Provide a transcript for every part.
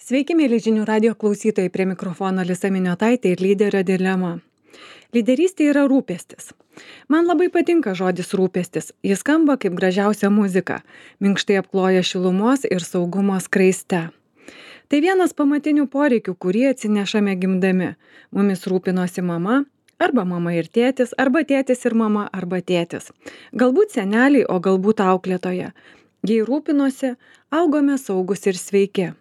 Sveiki, mėly žinių radio klausytojai, prie mikrofono Alisa Miniotaitė ir lyderio dilema. Lyderystė yra rūpestis. Man labai patinka žodis rūpestis. Jis skamba kaip gražiausia muzika, minkštai apkloja šilumos ir saugumo skraiste. Tai vienas pamatinių poreikių, kurį atsinešame gimdami. Mumis rūpinosi mama, arba mama ir tėtis, arba tėtis ir mama, arba tėtis. Galbūt seneliai, o galbūt auklėtoja. Jei rūpinosi, augome saugus ir sveiki.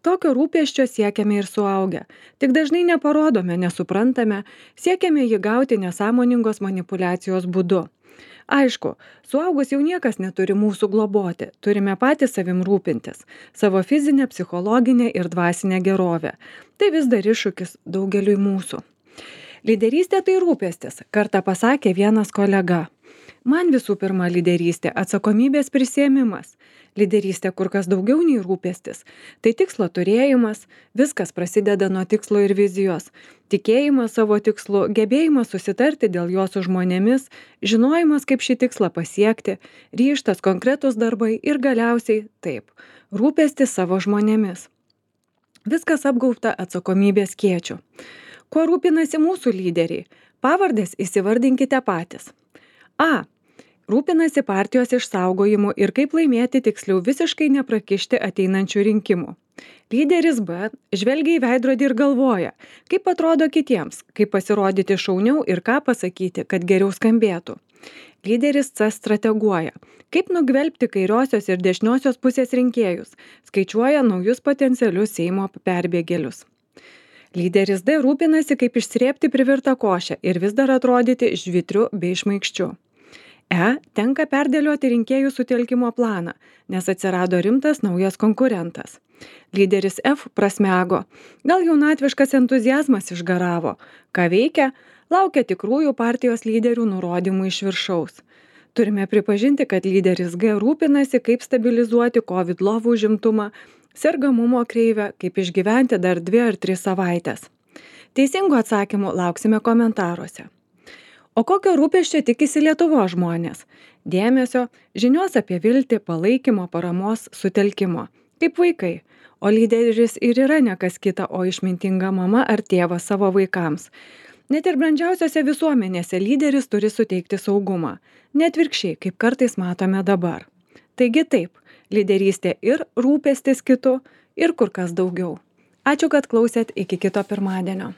Tokio rūpesčio siekiame ir suaugę. Tik dažnai neparodome, nesuprantame, siekiame jį gauti nesąmoningos manipulacijos būdu. Aišku, suaugus jau niekas neturi mūsų globoti, turime patys savim rūpintis, savo fizinę, psichologinę ir dvasinę gerovę. Tai vis dar iššūkis daugeliui mūsų. Lyderystė tai rūpestis, kartą pasakė vienas kolega. Man visų pirma lyderystė atsakomybės prisiėmimas. Lyderystė kur kas daugiau nei rūpestis. Tai tikslo turėjimas, viskas prasideda nuo tikslo ir vizijos. Tikėjimas savo tikslu, gebėjimas susitarti dėl jo su žmonėmis, žinojimas, kaip šį tikslą pasiekti, ryžtas, konkretūs darbai ir galiausiai taip, rūpestis savo žmonėmis. Viskas apgaubta atsakomybės skėčiu. Kuo rūpinasi mūsų lyderiai? Pavardės įsivardinkite patys. A. Rūpinasi partijos išsaugojimu ir kaip laimėti, tiksliau visiškai neprakišti ateinančių rinkimų. Lyderis B. Žvelgia į veidrodį ir galvoja, kaip atrodo kitiems, kaip pasirodyti šauniau ir ką pasakyti, kad geriau skambėtų. Lyderis C. Strateguoja, kaip nugvelbti kairiosios ir dešiniosios pusės rinkėjus, skaičiuoja naujus potencialius Seimo perbėgėlius. Lyderis D. Rūpinasi, kaip išsrėbti privirtą košę ir vis dar atrodyti žvitriu bei šmaikščiu. E. Tenka perdėlioti rinkėjų sutelkimo planą, nes atsirado rimtas naujas konkurentas. Lyderis F. Prasmego. Gal jaunatviškas entuziazmas išgaravo. Ką veikia? Laukia tikrųjų partijos lyderių nurodymų iš viršaus. Turime pripažinti, kad lyderis G. rūpinasi, kaip stabilizuoti COVID lovų užimtumą, sergamumo kreivę, kaip išgyventi dar 2 ar 3 savaites. Teisingų atsakymų lauksime komentaruose. O kokio rūpesčio tikisi Lietuvos žmonės? Dėmesio, žinios apie viltį, palaikymo, paramos, sutelkimo. Kaip vaikai. O lyderis ir yra ne kas kita, o išmintinga mama ar tėvas savo vaikams. Net ir brandžiausiose visuomenėse lyderis turi suteikti saugumą. Net atvirkščiai, kaip kartais matome dabar. Taigi taip, lyderystė ir rūpestis kitu, ir kur kas daugiau. Ačiū, kad klausėt, iki kito pirmadienio.